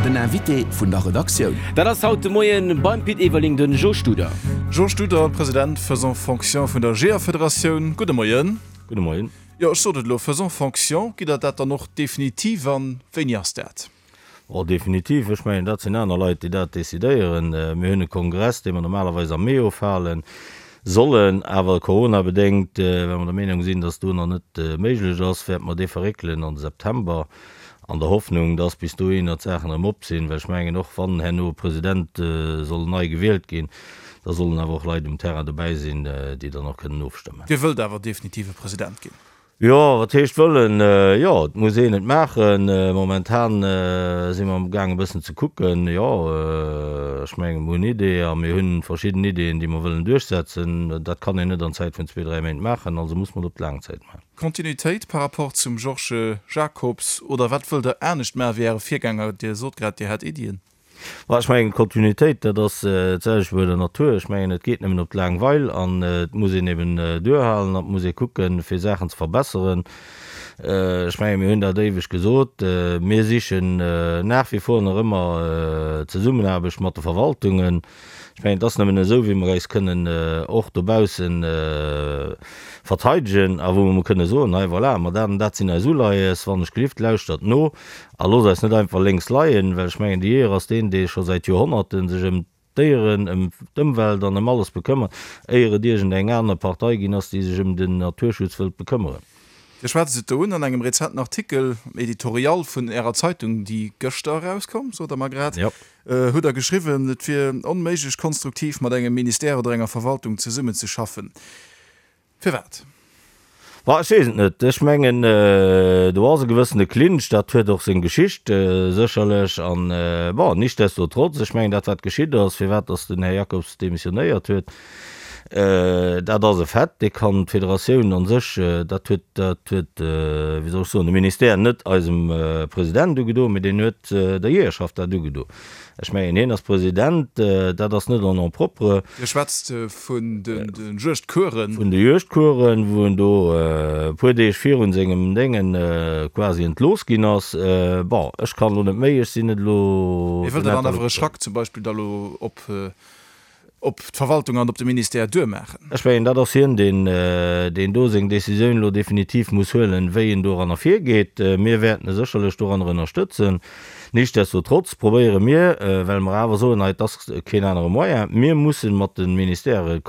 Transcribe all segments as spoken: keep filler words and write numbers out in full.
Den Invité vun der Redaktioun. Dat ass haut de Moien beim Pit Everling den Jo Studer. Jo Studer, President faisant fonction vun der Jeeërfederatioun, gudde Moien. Gudde Moien. Jo, ech sot et elo, faisant fonction, gitt Der dat dann och definitiv an wéini ass dat? Oh, definitiv, ech mengen, dat sinn aner Leit, déi dat decidéieren. Mir hunn e Kongress, dee mer normalerweis am Mee ofhalen sollen, awer coronabedéngt, well mer der Meenung sinn, dass do nach net méiglech ass, wäerte mer dee verréckelen an de September, an der Hoffnung, dass bis dohinner d'Saachen erëm op sinn. Well ech mengen, och wann herno e President soll nei gewielt ginn, da sollen awer och Leit um Terrain dobäi sinn, déi dann och kënnen ofstëmmen. Dir wëllt awer definitiv e President ginn? Jo, wat heescht wëllen? Jo, et muss een et maachen. Momentan si mer amgaang e bëssen ze kucken. Jo, ech mengen, mer hunn Ideeë a mir hunn verschidden Ideeën, déi mer wëllen duerchsetzen. Dat kann een net an Zäit vun zwee, dräi Méint maachen, also muss mer et op d'laang Zäit maachen. Kontinuitéit par rapport zum Georges Jacobs oder wat wëllt Der anescht maachen wéi Äre Virgänger? Dir sot grad, Dir hätt Iddien. Ma ech mengen, Kontinuitéit, dat ass d'selwecht wéi bei der Natur. Ech mengen, et geet nëmmen op d'laang Weil an et muss een eben duerhalen an et muss ee kucken, fir Saachen ze verbesseren. Ech mengen, mir hunn dat éiweg gesot, mir sichen nach wie vor nach ëmmer d'Zesummenaarbecht mat de Verwaltungen. Ech mengen, et ass nëmmen esou, wéi mer eis kënnen och dobausse verteidegen a wou mer kënne soen, hei voilà, ma dat an dat sinn eis Uleies, wann ech gelift, lauschtert no. A loosst eis net einfach lénks leien, well ech mengen, de Jeeër ass deen, dee scho säit Joerhonnerten sech ëm d'Déieren, ëm d'Ëmwelt an ëm alles bekëmmert, éier et iergend eng aner Partei ginn ass, déi sech ëm den Naturschutz wëllt bekëmmeren. Dir schwätzt et do un an engem rezenten Artikel am Editorial vun Ärer Zeitung, déi gëschter erauskoum, sot Der mer grad, hutt Der geschriwwen, et wier onméiglech, konstruktiv mat engem Ministère oder enger Verwaltung zesummenzeschaffen. Firwat? Ma ech weess et net. Ech mengen, do ass e gewëssene Clinch, dat huet och seng Geschicht sécherlech. An, bon, nichtsdestotrotz, ech mengen, dat wat geschitt ass, firwat datt den Här Jacobs demissionéiert huet, dat ass e Fait, dee kann d'Federatioun a sech, dat huet, dat huet, wéi soll ech soen, de Ministère net eisem President ugedo, mee deen huet der Jeeërschaft dat ugedo. Ech mengen, hien ass President, dat ass net en nom propre. Dir schwätzt vun de Juegdcoursen. Vun de Juegdcoursen, wou en do e puer Deeg virun sengem Déngen quasi entlooss ginn ass. Bon, ech kann elo net méi, ech sinn net elo. Mee wëllt Der dann awer e Schrack zum Beispill da elo op op d'Verwaltung an op de Ministère duermaachen? Ech mengen, dat ass hien, deen, deen do seng Décisioun elo definitiv muss huelen, wéi en doranner virgeet. Mir wäerten e sécherlech doranner ënnerstëtzen. Nichtsdestotrotz probéiere mir, well mer awer soen, hei, et ass keen anere Moyen, mir mussen mat de Ministèrë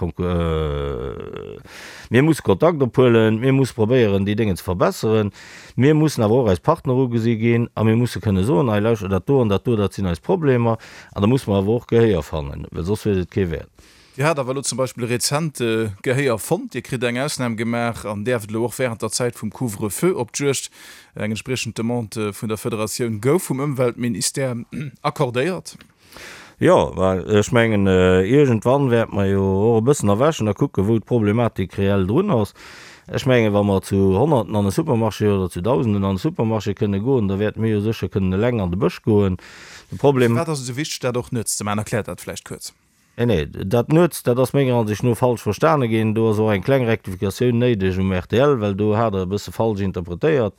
mir musse Kontakt ophuelen, mir musse probéieren, déi Déngen ze verbesseren. Mir mussen awer och eis Partner ugesi ginn a mir musse kënne soen, hei, lauschtert, dat do an dat do, dat sinn eis Problemer. An da musse mer awer och Gehéier fannen, well soss huet et kee Wäert. Dir hat awer elo zum Beispill rezent Gehéier fonnt. Dir kritt eng Ausnam gemaach an däerft elo och wärend der Zäit vum Couvre-feu op d'Juegd. Eng entspriechend Demande vun der Federatioun gouf vum Ëmweltministère accordéiert. Jo, well ech mengen, iergendwann wäerte mer jo och e bëssen erwächen a kucken, wou d'Problematik reell drun ass. Ech mengen, wa mer zu Honnerten an e Supermarché oder zu Dausenden an e Supermarché kënne goen, da wäerte mir jo sécher kënnen eleng an de Bësch goen. De Problem. Firwat ass et esou wichteg, dat och nuets ze maachen? Erkläert dat vläicht kuerz. Nee, nee, dat nuets, dat ass menger Ansicht no falsch verstane ginn. Do ass och eng kleng Rektifikatioun néideg um rtl, well do hat Der e bësse falsch interpretéiert.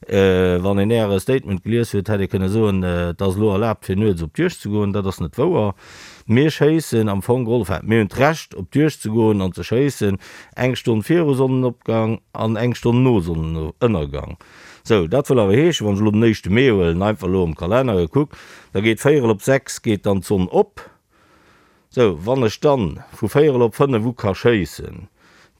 Wann een Äre Statement gelies huet, hätt ee kënne soen, et ass elo erlaabt, fir nuets op d'Juegd ze goen. Dat ass net wouer. Mir schéissen am Fong geholl, enfin, mir hunn d'Recht, op d'Juegd ze goen an ze schéissen, eng Stonn viru Sonnenopgang an eng Stonn no Sonnenënnergang. Sou, dat wëll awer heeschen, wann ech elo den éischte Mee huelen, einfach elo am Kalenner gekuckt, da geet véierel op sechs geet dann d'Sonn op. Sou, wann ech dann vu véierel op fënnef u ka schéissen,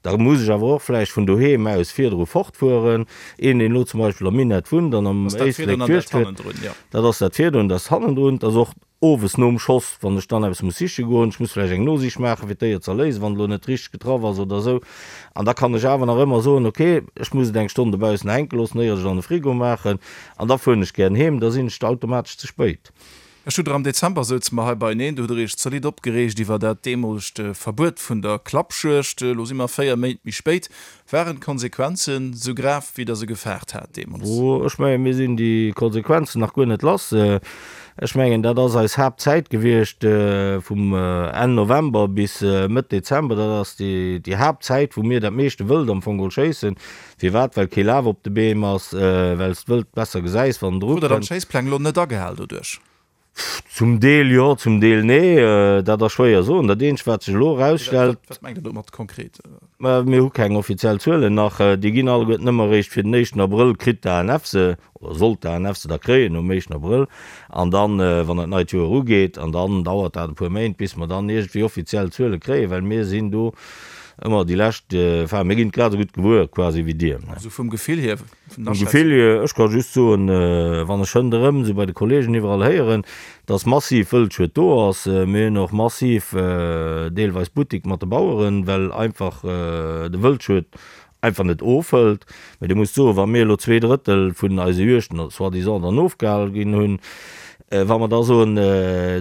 da muss ech awer och vläicht vun doheem aus virdru fortfueren. Een, deen elo zum Beispill am Minett wunnt an am Éislek d'Juegd huet, dat ass dat virdrun, dat ass hannendrun, dat ass och owes nom Schoss, wann ech dann eppes muss siche goen, ech muss vläicht eng Nosich maachen, fir d'Déier ze erléisen, wann et elo net richteg getraff ass oder esou. An da kann ech awer nach ëmmer soen, okay, ech muss et eng Stonn dobaussen hänke loossen, éier ech et an de Frigo maachen, an da fueren ech gären heem, da sinn ech automatesch ze spéit. Ech hu der am Dezember souze mer hei beieneen, do hutt der Iech zolidd opgereegt iwwer dat deemolegt Verbuet vun der Klappjuegd. Elo si mer véier Méint méi spéit. Waren d'Konsequenzen esou grav, wéi der se gefaart hat deemools? Ech mengen, mir sinn déi Konsequenzen nach guer net lass. Ech mengen, dat ass eis Haaptzäit gewiescht, vum Enn November bis Mëtt Dezember. Dat ass déi Haaptzäit, wou mir dat meeschte Wëld am Fong geholl schéissen. Firwat? Well kee Laf op de Beem ass, well s d'Wëld besser gesäis, wann en Krut der dann d'Schéisspläng elo net agehal doduerch? Zum Deel jo, zum Deel nee. Dat ass schwéier soen. Dat eenzegt, wat sech elo erausstellt. Wat mengt Der domat konkret? Mä mir hu keng offiziell Zuelen nach. Déi ginn alleguerten nëmme eréischt fir den éischten Abrëll kritt d'ANF se, oder sollt d'ANF se da kréien nom éischten Abrëll. An dann, wann dat neit Joer ugeet, an dann dauert dat e puer Méint, bis mer dann iergendwéi offiziell Zuele kréien, well mir sinn do ëmmer déi lescht, enfin mir ginn et grad esou gutt gewuer quasi wéi Dir. Also vum Gefill hier, vun der Aschätzung? Vum Gefill hier, ech ka just soen, wann ech hënderëm esou bei de Kollegen iwwerall héieren, dass massiv Wëldschued do ass. Mir hunn och massiv deelweis Buttik mat de Baueren, well einfach de Wëldschued einfach net ofhëlt. Mä Dir musst soen, wa mir elo zwee Drëttel vun eise Juegten soi-disant dann ofgehal ginn hunn, wa mer da soen,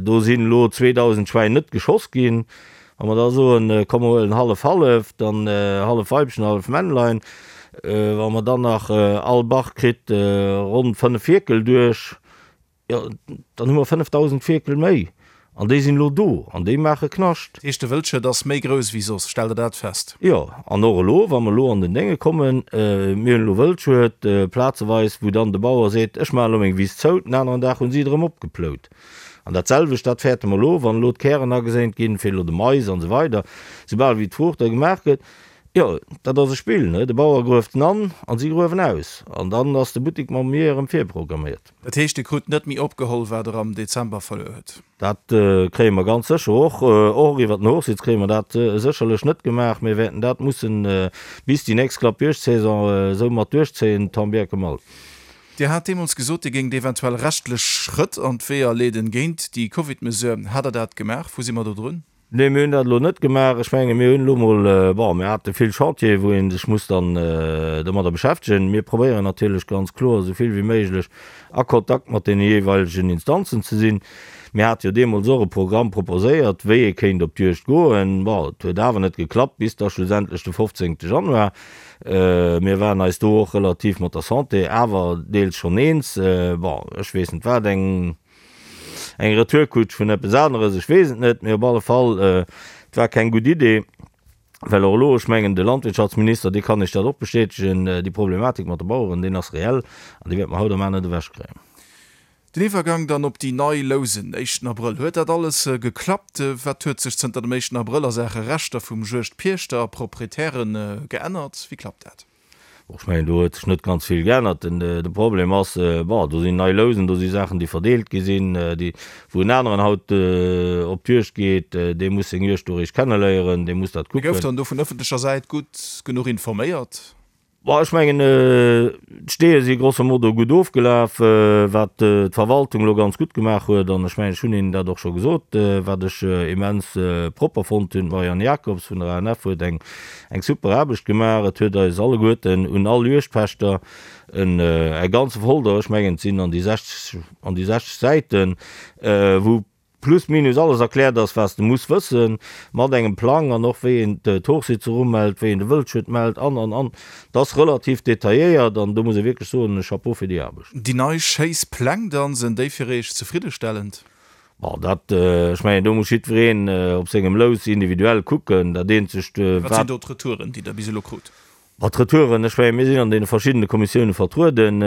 do sinn elo zweedausend Schwäin net geschoss ginn, Wa mer da soen, komm mer huelen hallef-hallef, dann hallef Weibchen, hallef Männlein, wa mer dann nach all Bach kritt ronn fënnef Fierkel duerch, jo, dann hu mer fënnefdausend Fierkel méi. An déi sinn elo do an déi maache Knascht. Dat heescht, de Wëldschued ass méi grouss wéi soss, stellt Der dat fest? Jo, an och elo, wa mer elo an den Dénge kommen, mir hunn elo Wëldschued plazeweis, wou dann de Bauer seet, ech maachen elo meng Wiss zou, den aneren Dag hu si et erëm opgeplout. An dat selwecht, dat fäerte mer elo, wann elo d'Kären ageséint ginn, fir elo de Mais an esou weider, soubal wéi d'Fruucht da gemaach gëtt, jo, dat ass e Spill, ne? De Bauer grueft en an an si gruewen aus. An dann ass de Buttek mam Jeeër erëm virprogramméiert. Dat heescht, Dir krut net méi opgeholl, wat Der am Dezember verluer hutt? Dat kréie mer ganz sécher och, och iwwert den Hochsitz kréie mer dat sécherlech net gemaach. Mir wäerten dat mussen bis déi nächst Klappjuegdsaison esou mat duerchzéien, tant bien que mal. Dir hat deemools gesot, Dir géingt eventuell rechtlech Schrëtt an d'Weeër leeden géint déi Covid-Mesure. Hat Der dat gemaach? Wou si mer do drun? Nee, mir hunn dat elo net gemaach. Ech menge mir hunn elo mol, bon, mir hate vill Chantiere wou ee sech muss dann domadder beschäftegen. Mir probéieren natierlech ganz kloer esou vill wéi méiglech a Kontakt mat deene jeeweilegen Instanzen ze sinn. Mir hate jo deemools och e Programm proposéiert, wéi ee kéint op d'Juegd goen. Bon, et huet awer net geklappt bis da schlussendlech de fofzéngte Januar. Mir waren eis do och relativ mat der Santé awer deels schonn eens. Bon, ech weess net wat, eng eng Retourkutsch vun eppes aneres, ech weess et net, mee op alle Fall, et war keng gutt Idee, well och elo, ech mengen de Landwirtschaftsminister, dee kann Iech dat och bestätegen, déi Problematik mat de Baueren, deen ass reell an déi wäerte mer haut a mar net ewechkréien. Den Iwwergang dann op déi nei Lousen, éischten Abrëll, huet dat alles geklappt? Wat huet sech zënter dem éischten Abrëll a Saache Rechter vum Juegdpiechter a Proprietären geännert? Wéi klappt dat? Bon, ech mengen, do huet sech net ganz vill geännert. Den Problem ass, bon, do sinn nei Lousen, do si Saachen, déi verdeelt gi sinn, déi, wou en aneren haut op d'Juegd geet, dee muss seng Juegd do eréischt kenneléieren, dee muss dat kucken. Gouf dann do vun ëffentlecher Säit gutt genuch informéiert? Bon, ech mengen, d'Steeë si grosso modo gutt ofgelaf, wat d'Verwaltung elo ganz gutt gemaach huet. An ech mengen, ech hunn hinnen dat och scho gesot, wat ech immens propper fonnt hunn, D'Marianne Jacobs vun der A N F huet eng eng super Aarbecht gemaach. Et huet eis alleguerten un all Juegdpächter en e ganze Folder, ech mengen, et sinn an déi sechzeg an déi sechzeg Säiten, wou plus minus alles erkläert ass, wat s de muss wëssen, mat engem Plang an och wéi een d'Hochsitzer umellt, wéi een de Wëldschued mellt an, an, an. Dat ass relativ detailléiert an do muss ee wierklech soen, Chapeau fir déi Aarbecht. Déi nei Schéisspläng dann, sinn déi fir Iech zefriddestellend? Bon, dat, ech mengen, do muss jiddwereen op sengem Lous individuell kucken. Dat eenzegt, wat. Wat sinn do d'Retouren, déi Der bis elo krut? Ma d'Retouren, ech mengen, mir sinn an deene verschiddene Kommissioune vertrueden.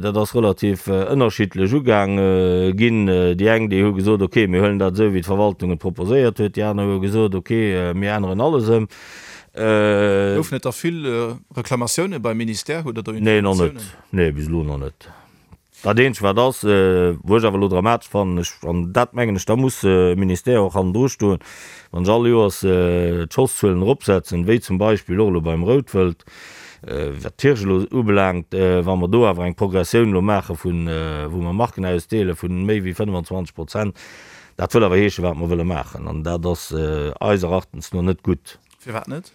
Dat ass relativ ënnerschiddlech ugaang ginn. Déi eng, déi hu gesot, okay, mir huelen dat esou, wéi d'Verwaltung et proposéiert huet. Déi aner hu gesot, okay, mir änneren alles ëm. Goufen et da vill Reklamatioune beim Ministère? Hutt Der do Nee, nach net. Informatiounen? Nee, bis elo nach net. Dat eenzegt wat ass, wou ech awer elo dramatesch fannen, ech, an dat mengen ech, da muss e Ministère och hannendru stoen, wann ech all Joers d'Schosszuelen eropsetzen, wéi zum Beispill och elo beim Routwëld, wat d'Hirsch elo ubelaangt, wa mer do awer eng Progressioun elo maache vun, wou mer Marken ausdeele vun méi wéi fënnefenzwanzeg Prozent, dat wëll awer heeschen, wat mer wëlle maachen, an dat ass eis Erachtens no net gutt. Firwat net?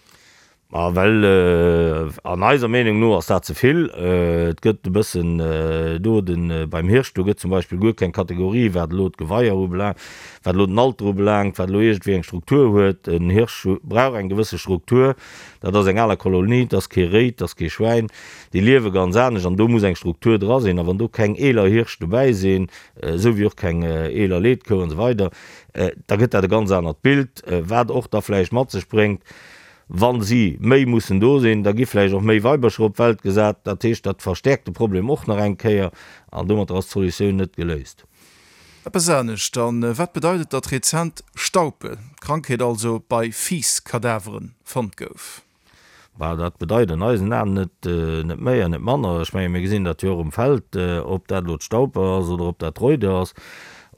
Ma well an eiser Meenung no ass dat ze vill. Et gëtt e bëssen do de beim Hirsch, do gëtt zum Beispill guer keng Kategorie wat elo d'Geweier ubelaangt, wat elo den Alter ubelaangt, wat elo iergendwéi eng Struktur huet. En Hirsch brauch eng gewësse Struktur. Dat ass eng aler Kolonie, et ass kee Réi, et ass kee Schwäin. Déi liewe ganz anescht an do muss eng Struktur dra sinn. A wann do keng eeler Hirsch dobäi sinn, esou wéi och keng eeler Leetkou an esou weider, da gëtt dat e ganz anert Bild, wat och da vläicht mat sech bréngt, Wa si méi mussen do sinn, da gi vläicht och méi Weibercher op d'Welt gesat. Dat heescht, dat verstäerkt de Problem och nach eng Kéier an domatter ass d'Solutioun net geléist. Eppes anescht dann, Wat bedeit et, datt rezent Staupe, d'Krankheet also, bei Fiiss-Kadaveren fonnt gouf? Bah, dat bedeit an eisen Aen net, net méi an net manner. Ech menge mir gesinn dat jo och um Feld, ob dat elo d'Staupe ass oder ob dat d'Reude ass.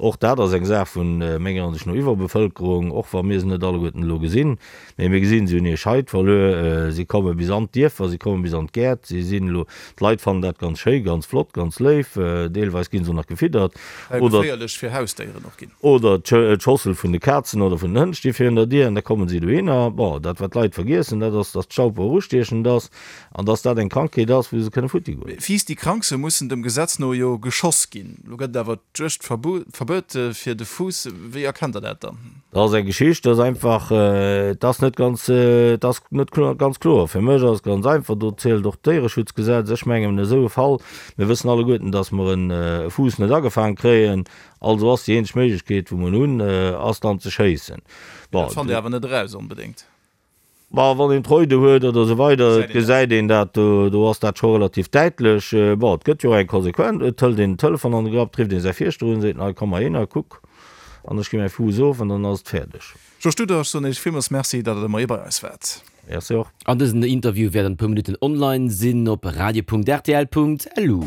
Och dat ass eng Saach vun menger Ansicht no Iwwerbevëlkerung, och wa mir se net alleguerten elo gesinn. Mee mir gesinn, si hunn hir Scheid verluer, si komme bis an d'Dierfer, si komme bis an d'Gäert, si sinn elo, d'Leit fannen dat ganz schéi, ganz flott, ganz léif, deelweis gi se och nach gefiddert. Oder geféierlech fir Hausdéieren och ginn. Oder d'Schossel vun de Kazen oder vun den Hënn sti virun der Dier an da kommen si dohinner. Bon, dat wat d'Leit vergiessen, dat ass, dass d'Staupe och ustiechend ass an dass dat eng Krankheet ass, wou se kënne futti goen. Fiiss, déi krank sinn, mussen dem Gesetz no jo geschoss ginn. Elo gëtt et awer d'Juegdverbuet fir de Fuuss. Wéi erkennt Der dat dann? Dat ass eng Geschicht, dat ass einfach, et ass net ganz, et ass net ganz kloer. Fir mech ass et ganz einfach, do zielt och d'Déiereschutzgesetz. Ech mengen, esou e Fall, mir wëssen alleguerten, datt mer e Fuuss net agefaang kréien, also ass déi eenzeg Méiglechkeet, wou mer en hunn, ass dann ze schéissen. Bon, dat fannt Dir awer net eraus onbedéngt. Bon, wann een d'Reude huet oder esou weider, gesäit een dat, do ass dat scho relativ däitlech. Bon, et gëtt jo och eng Konsequenz, et hëlt een den Telefon an de Grapp, et rifft ee säi Fierschter un, seet en, hei komm mol hinner, kuck, an ech gi mäi Fuuss of an dann ass et fäerdeg. Georges Studer, ech soen Iech villmools Merci, datt Der de Moie bei eis waart. Merci och. An dësen Interview wäert an e puer Minutten online sinn op radio.rtl.lu.